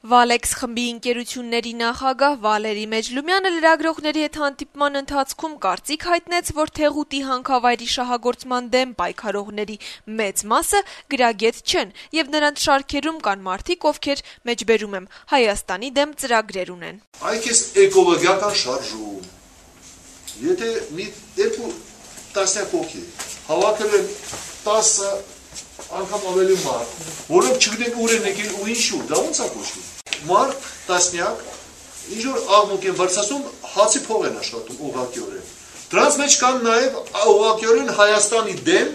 Վալեքս խմբի ընկերությունների նախագահ Վալերի Մեջլումյանը լրագրողների հետ հանդիպման ընթացքում կարծիք հայտնեց, որ Թեղուտի հանքավայրի շահագործման դեմ պայքարողների մեծ մասը գրագետ չեն, եւ նրանց շարքերում կան մարդիկ, ովքեր, մեջբերում եմ, Հայաստանի դեմ ծրագրեր ունեն։ Այք էս էկոլոգիական շարժում, եթե մի երկու տասնյակ հոգի հավաքել են 10 անգամ ավելի մարդ, որոնք չգիտեն ուր են եկել ու ինչու, դա ոնց է կոչվում։ Մարդ տասնյակ, ինչ-որ աղմուկ են բարձրացում, հացի փող են աշխատում ուղղակիորեն։ Դրանց մեջ կան նաև ուղղակիորեն Հայաստանի դեմ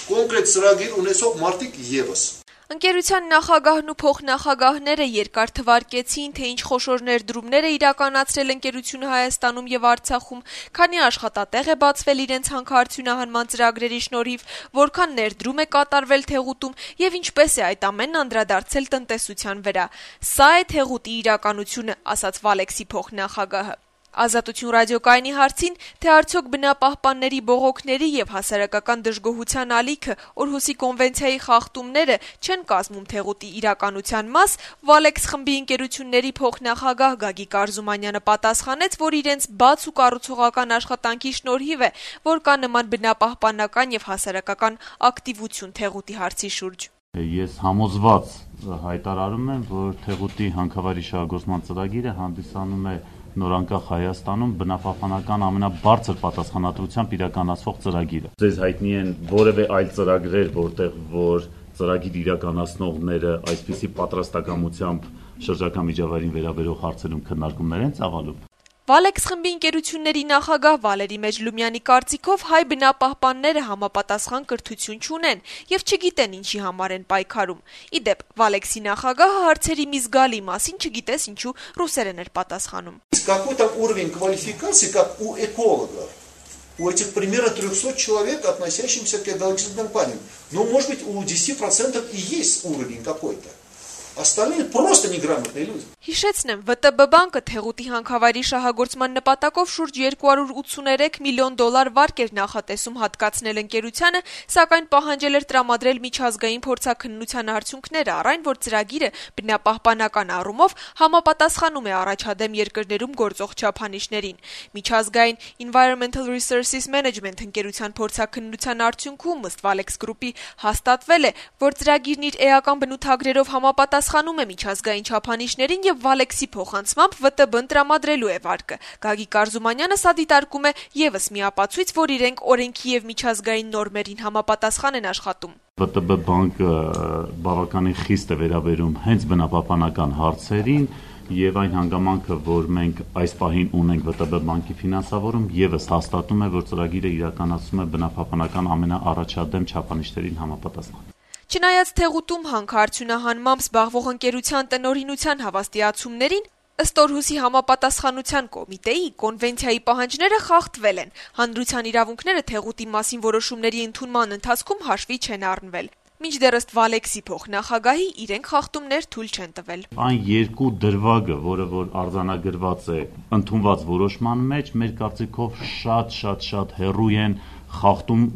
կոնկրետ ծրագիր ունեցող մարդիկ ևս։ Ընկերության նախագահն ու փոխնախագահները երկար թվարկեցին, թե ինչ խոշոր ներդրումներ է իրականացրել ընկերությունը Հայաստանում եւ Արցախում, քանի աշխատատեղ է բացվել իրենց հանքարդյունահանման ծրագրերի շնորհիվ, որքան ներդրում է կատարվել Թեղուտում եւ ինչպես է այդ ամենն անդրադարձել տնտեսության վրա։ Սա է Թեղուտի իրականությունը, ասաց Վալեքսի փոխնախագահը։ Ազատություն ռադիոկայանի հարցին, թե արդյոք բնապահպանների բողոքների եւ հասարակական դժգոհության ալիքը Օրհուսի կոնվենցիայի խախտումները չեն կազմում Թեղուտի իրականության մաս, Վալեքս խմբի ընկերությունների փոխնախագահ Գագիկ Արզումանյանը պատասխանեց, որ իրենց բաց ու կառուցողական աշխատանքի շնորհիվ է, որ կա նման բնապահպանական եւ հասարակական ակտիվություն Թեղուտի հարցի շուրջ։ Ես համոզված հայտարարում եմ, որ Թեղուտի հանքավայրի շահագործման ծրագիրը հանդիսանում է նորանկախ Հայաստանում բնապահպանական ամենաբարձր պատասխանատվությամբ իրականացվող ծրագիրը։ Ձեզ հայտնի են որևէ այլ ծրագրեր, որ ծրագիր իրականացնողները այսպիսի պատրաստակամությամբ շրջակա միջավայրին վերաբերող հարցերում քննարկումներ են ծավալում։ Վալեքս խմբի ընկերությունների նախագահ Վալերի Մեջլումյանի կարծիքով հայ բնապահպանները համապատասխան կրթություն չունեն եւ չգիտեն ինչի համար են պայքարում։ Ի դեպ, Վալեքսի նախագահը հարցերի մի զգալի մասին չգիտես ինչու ռուսերեն էր պատասխանում։ Какой-то уровень квалификации, как у экологов, у этих примерно 300 человек, относящихся к экологическим компаниям. Ну, может быть, у 10% и есть уровень какой-то. Остальные просто неграмотные люди. Հիշեցնեմ, ՎՏԲ բանկը Թեղուտի հանքավայրի շահագործման նպատակով շուրջ 283 միլիոն դոլար վարկ էր նախատեսում հատկացնել ընկերությանը, սակայն պահանջել էր տրամադրել միջազգային փորձաքննության արդյունքները, առայն որ ծրագիրը բնապահպանական առումով համապատասխանում է առաջադեմ երկրներում գործող չափանիշներին։ Միջազգային Environmental Resources Management ընկերության փորձաքննության արդյունքում ըստ Վալեքս գրուպի հաստատվել է, որ ծրագիրն իր էական բնութագրերով համապատասխանում է միջազգային չափանիշներին եւ Վալեքսի փոխանցմամբ ՎՏԲ-ն տրամադրելու է վարկը։ Գագիկ Արզումանյանը սա դիտարկում է եւս մի ապացույց, որ իրենք օրենքի եւ միջազգային նորմերին համապատասխան են աշխատում։ ՎՏԲ բանկը բավականին խիստ է վերաբերում հենց բնապահպանական հարցերին եւ այն հանգամանքը, որ մենք այս պահին ունենք ՎՏԲ բանկի ֆինանսավորում, եւս հաստատում է, որ ծրագիրը իրականացում է բնապահպանական ամենաառաջադեմ չափանիշներին համապատասխան։ Չնայած Թեղուտում հանքարդյունահանմամբ զբաղվող ընկերության տնօրինության հավաստիացումներին, ըստ Օրհուսի համապատասխանության կոմիտեի կոնվենցիայի պահանջները խախտվել են։ Հանրության իրավունքները Թեղուտի մասին որոշումների ընդունման ընթացքում հաշվի չեն առնվել։ Մինչդեռ ըստ Վալեքսի փոխնախագահի իրենք խախտումներ թույլ չեն տվել։ Այն երկու դրվագը, որը որ արձանագրված է ընդունված որոշման մեջ, մեր կարծիքով շատ հեռու են խախտում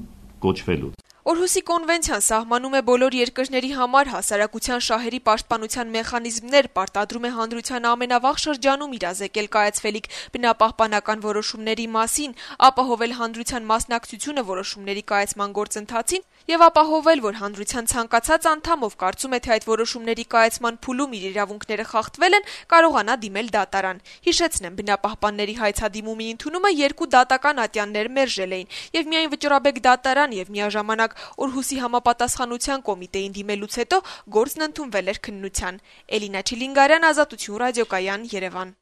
կոչվելուց։ Օրհուսի կոնվենցիան սահմանում է բոլոր երկրների համար հասարակության շահերի պաշտպանության մեխանիզմներ, պարտադրում է հանրության ամենավաղ շրջանում իրազեկել կայացվելիք բնապահպանական որոշումների մասին, ապահովել հանրության մասնակցությունը որոշումների կայացման գործընթացին եւ ապահովել, որ հանրության ցանկացած անդամ, ով կարծում է, թե այդ որոշումների կայացման փուլում իր իրավունքները խախտվել են, կարողանա դիմել դատարան։ Հիշեցնեմ, բնապահպանների հայցադիմումի ընդունումը երկու դատական ատյաններ մերժել էին եւ միայն վճռաբեկ դատարան եւ միաժամանակ Օրհուսի համապատասխանության կոմիտեին դիմելուց հետո գործն ընդունվել էր քննության։ Էլինա Չիլինգարյան, Ազատություն ռադիոկայան, Երևան։